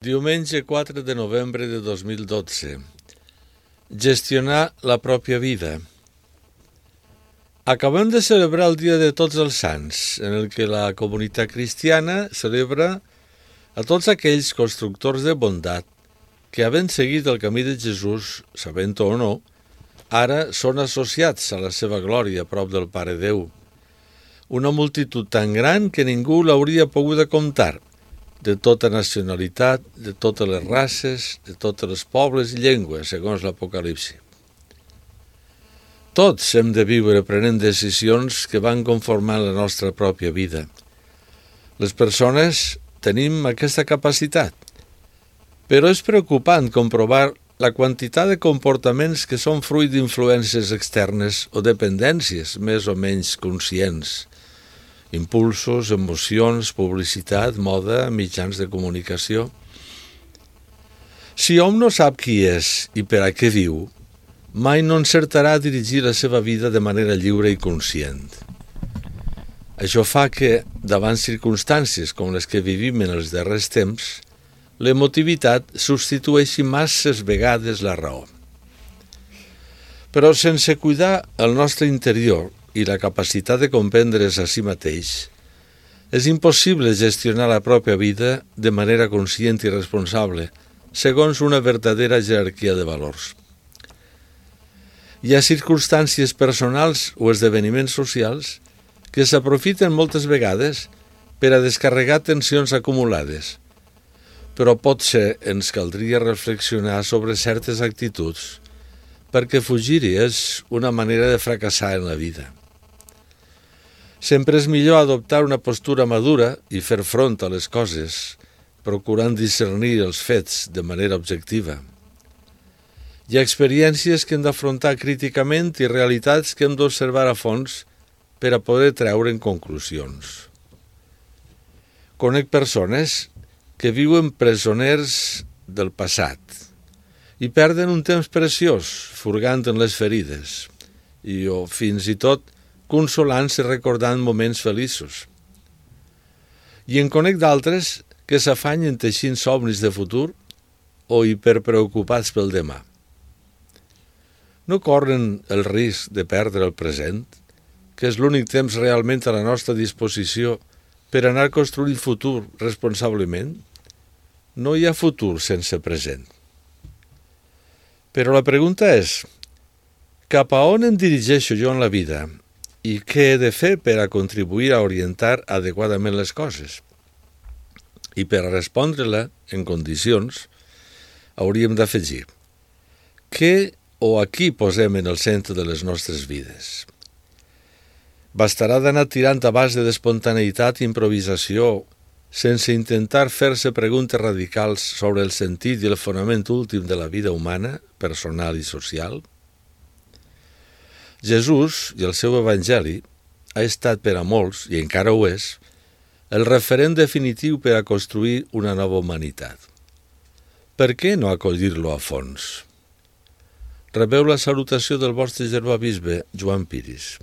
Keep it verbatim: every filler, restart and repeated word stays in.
Diumenge quatre de novembre de dos mil dotze. Gestionar la pròpia vida. Acabem de celebrar el Dia de Tots els Sants, en el que la comunitat cristiana celebra a tots aquells constructors de bondat que, havent seguit el camí de Jesús, sabent-ho o no, ara són associats a la seva glòria a prop del Pare Déu. Una multitud tan gran que ningú l'hauria pogut comptar, de tota nacionalitat, de totes les races, de tots els pobles i llengües, segons l'Apocalipsi. Tots hem de viure prenent decisions que van conformant la nostra pròpia vida. Les persones tenim aquesta capacitat, però és preocupant comprovar la quantitat de comportaments que són fruit d'influències externes o dependències més o menys conscients. Impulsos, emocions, publicitat, moda, mitjans de comunicació. Si hom no sap qui és i per a què viu, mai no encertarà a dirigir la seva vida de manera lliure i conscient. Això fa que, davant circumstàncies com les que vivim en els darrers temps, l'emotivitat substitueixi masses vegades la raó. Però sense cuidar el nostre interior i la capacitat de comprendre's a si mateix, és impossible gestionar la pròpia vida de manera conscient i responsable, segons una verdadera jerarquia de valors. Hi ha circumstàncies personals o esdeveniments socials que s'aprofiten moltes vegades per a descarregar tensions acumulades, però potser ens caldria reflexionar sobre certes actituds, perquè fugir-hi és una manera de fracassar en la vida. Sempre és millor adoptar una postura madura i fer front a les coses, procurant discernir els fets de manera objectiva. Hi ha experiències que hem d'afrontar críticament i realitats que hem d'observar a fons per a poder treure'n conclusions. Conec persones que viuen presoners del passat i perden un temps preciós furgant en les ferides i o fins i tot consolant-se recordant moments feliços. I en conec d'altres que s'afanyen teixint somnis de futur o hiperpreocupats pel demà. No corren el risc de perdre el present, que és l'únic temps realment a la nostra disposició per anar construint futur responsablement? No hi ha futur sense present. Però la pregunta és, cap a on em dirigeixo jo en la vida? I què he de fer per a contribuir a orientar adequadament les coses? I per a respondre-la en condicions, hauríem d'afegir què o a qui posem en el centre de les nostres vides. Bastarà d'anar tirant a base d'espontaneïtat i improvisació sense intentar fer-se preguntes radicals sobre el sentit i el fonament últim de la vida humana, personal i social? Jesús i el seu evangeli ha estat per a molts, i encara ho és, el referent definitiu per a construir una nova humanitat. Per què no acollir-lo a fons? Rebeu la salutació del vostre germà bisbe, Joan Piris.